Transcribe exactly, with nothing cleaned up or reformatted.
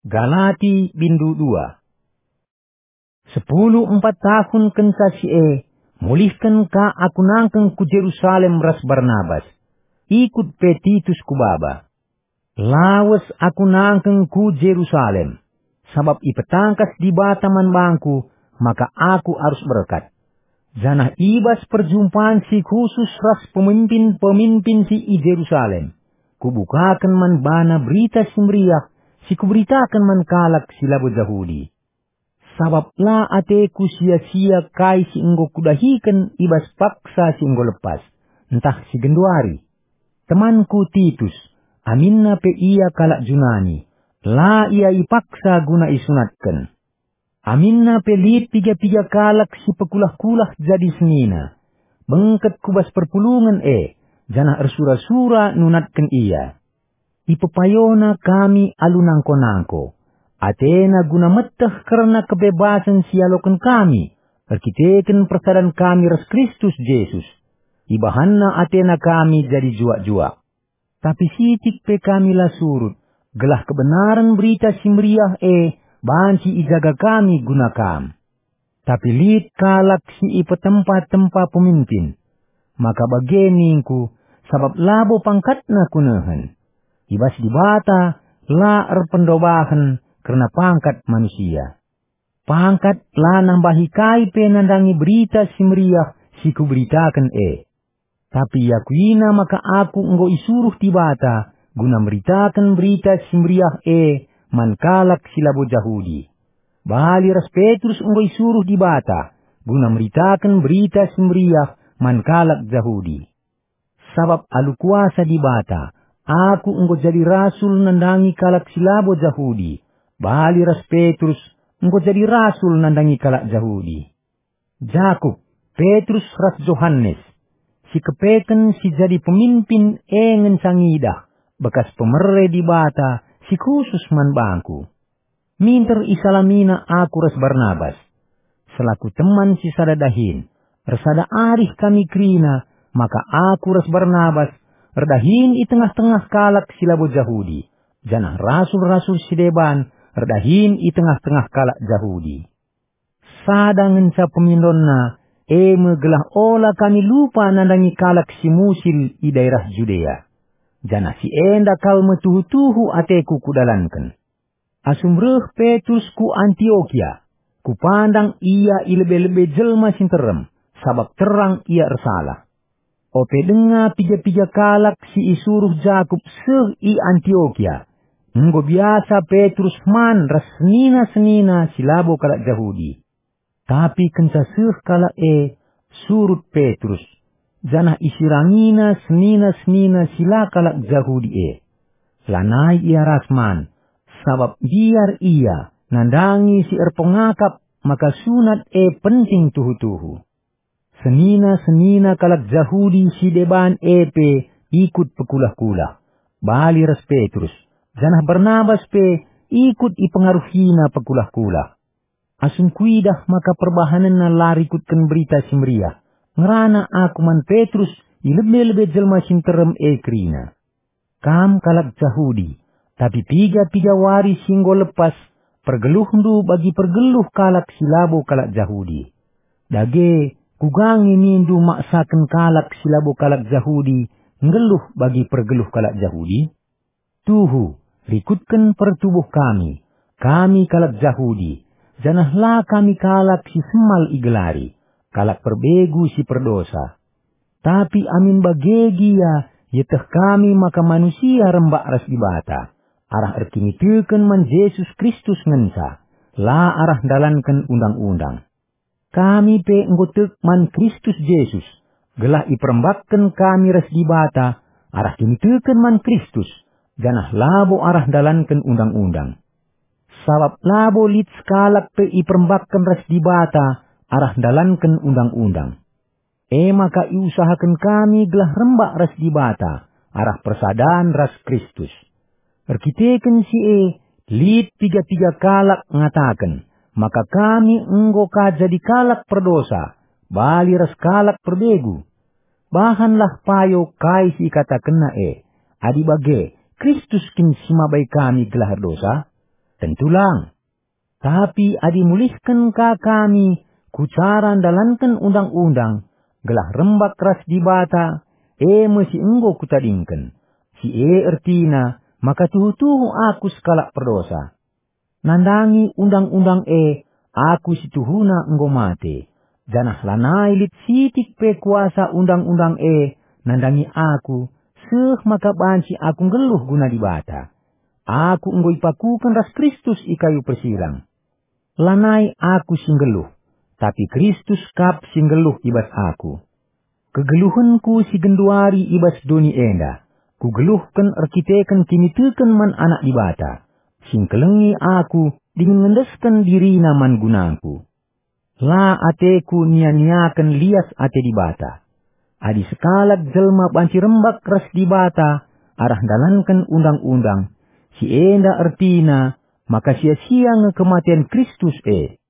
Galati bindu dua. Sepuluh empat tahun kenca si e, mulihken ka aku nangkeng ku Jerusalem ras Barnabas. Ikut pe Titus ku baba. Lawes aku nangkeng ku Jerusalem, sabap ipetangkas Dibata man bangku maka aku arus berkat. Janah i bas perjumpan si khusus ras pemimpin-pemimpin si i Jerusalem, kubukaken man bana Berita Si Meriah si kuberitaken man kalak si labo Jahudi. Sabap la ateku sia-sia kai si enggo kudahiken i bas paksa si enggo lepas, ntah si genduari. Temanku Titus, aminna pe ia kalak Junani, la ia ipaksa guna isunatken. Aminna pe lit piga-piga kalak si pekulah-kulah jadi senina. Bengket ku bas perpulungen e, janah ersura-sura nunatken ia. Ipepayona kami alu nangko-nangko. Atena guna meteh kerna kebebasen si ialoken kami, erkiteken persadan kami ras Kristus Jesus. Ibahanna atena kami jadi juak-juak. Tapi sitik pe kami la surut, gelah kebenaren Berita Si Meriah e banci ijaga kami guna kam. Tapi lit kalak si ipetempa-tempa pemimpin. Maka bage ningku, sabap labo pangkatna kunehen. I bas Dibata la erpendobahen kerna pangkat manusia. Pangkat la nambahi kai pe nandangi Berita Si Meriah si kuberitaken e. Tapi iakuina maka aku enggo isuruh Dibata guna meritaken Berita Si Meriah e man kalak si labo Jahudi. Bali ras Petrus enggo isuruh Dibata guna meritaken Berita Si Meriah man kalak Jahudi. Sabap alu kuasa Dibata, aku enggo jadi rasul nandangi kalak si labo Jahudi, bali ras Petrus enggo jadi rasul nandangi kalak Jahudi. Jakup, Petrus ras Johanes, si kepeken si jadi pemimpin e ngenca ngidah bekas pemere Dibata si khusus man bangku. Minter isalamina aku ras Barnabas. Selaku teman si sada dahin, ersada arih kami kerina, maka aku ras Barnabas erdahin i tengah-tengah kalak si labo Jahudi, janah rasul-rasul si deban erdahin i tengah-tengah kalak Jahudi. Sada ngenca pemindonna, e me gelah ola kami lupa nandangi kalak si musil i daerah Judea. Janah si enda kal me tuhu-tuhu ateku kudalanken. Asum reh Petrus ku Antiokia, kupandang ia i lebe-lebe jelma si nterem, sabap terang ia ersalah. Ope denga piga-piga kalak si isuruh Jakup seh i Antiokia, enggo biasa Petrus man ras senina-senina si labo kalak Jahudi. Tapi kenca seh kalak e, surut Petrus, janah isirangina senina-senina si la kalak Jahudi e. Lanai ia ras man, sabap mbiar ia nandangi si erpengakap maka sunat e penting tuhu-tuhu. Senina-senina kalak Jahudi si deban e pe ikut pekulah-kulah, bali ras Petrus, janah Barnabas pe ikut ipengaruhina pekulah-kulah. Asum kuidah maka perbahanenna la rikutken Berita Si Meriah, ngerana aku man Petrus i lebe-lebe jelma si nterem e kerina. Kam kalak Jahudi, tapi piga-piga wari si enggo lepas, pergeluhndu bagi pergeluh kalak si labo kalak Jahudi. Dage, kuga nge nindu maksaken kalak si labo kalak Jahudi nggeluh bagi pergeluh kalak Jahudi? Tuhu, rikutken pertubuh kami, kami kalak Jahudi, janah la kami kalak si semal igelari, kalak perbegu si perdosa. Tapi amin bage gia, ieteh kami maka manusia rembak ras Dibata, arah erkiniteken man Jesus Kristus ngenca, la arah ndalanken undang-undang. Kami pe enggo tek man Kristus Jesus, gelah iperembakken kami ras Dibata arah kiniteken man Kristus, janah labo arah ndalanken undang-undang. Sabap labo lit sekalak pe iperembakken ras Dibata arah ndalanken undang-undang. E maka iusahaken kami gelah rembak ras Dibata arah persadan ras Kristus. Erkiteken si e, lit piga-piga kalak ngataken maka kami enggo ka jadi kalak perdosa, bali ras kalak perbegu. Bahanlah payo kai si ikatakenna e. Adi bage, Kristus kin si mabai kami gelah erdosa? Tentu lang. Tapi adi mulihken ka kami ku cara ndalanken undang-undang, gelah rembak ras Dibata, e me si enggo kutadingken. Si e ertina maka tuhu-tuhu aku sekalak perdosa. Nandangi undang-undang e, aku si tuhuna enggo mate, janah lanai lit sitik pe kuasa undang-undang e nandangi aku, seh maka banci aku nggeluh guna Dibata. Aku enggo ipakuken ras Kristus i kayu persilang. Lanai aku si nggeluh, tapi Kristus kap si nggeluh i bas aku. Kegeluhenku si genduari i bas doni enda, kugeluhken erkiteken kiniteken man Anak Dibata, si ngkelengi aku dingen ngendesken diriNa man gunangku. La ateku nia-niaken lias ate Dibata. Adi sekalak jelma banci rembak ras Dibata arah ndalanken undang-undang, si enda ertina maka sia-sia nge kematen Kristus e.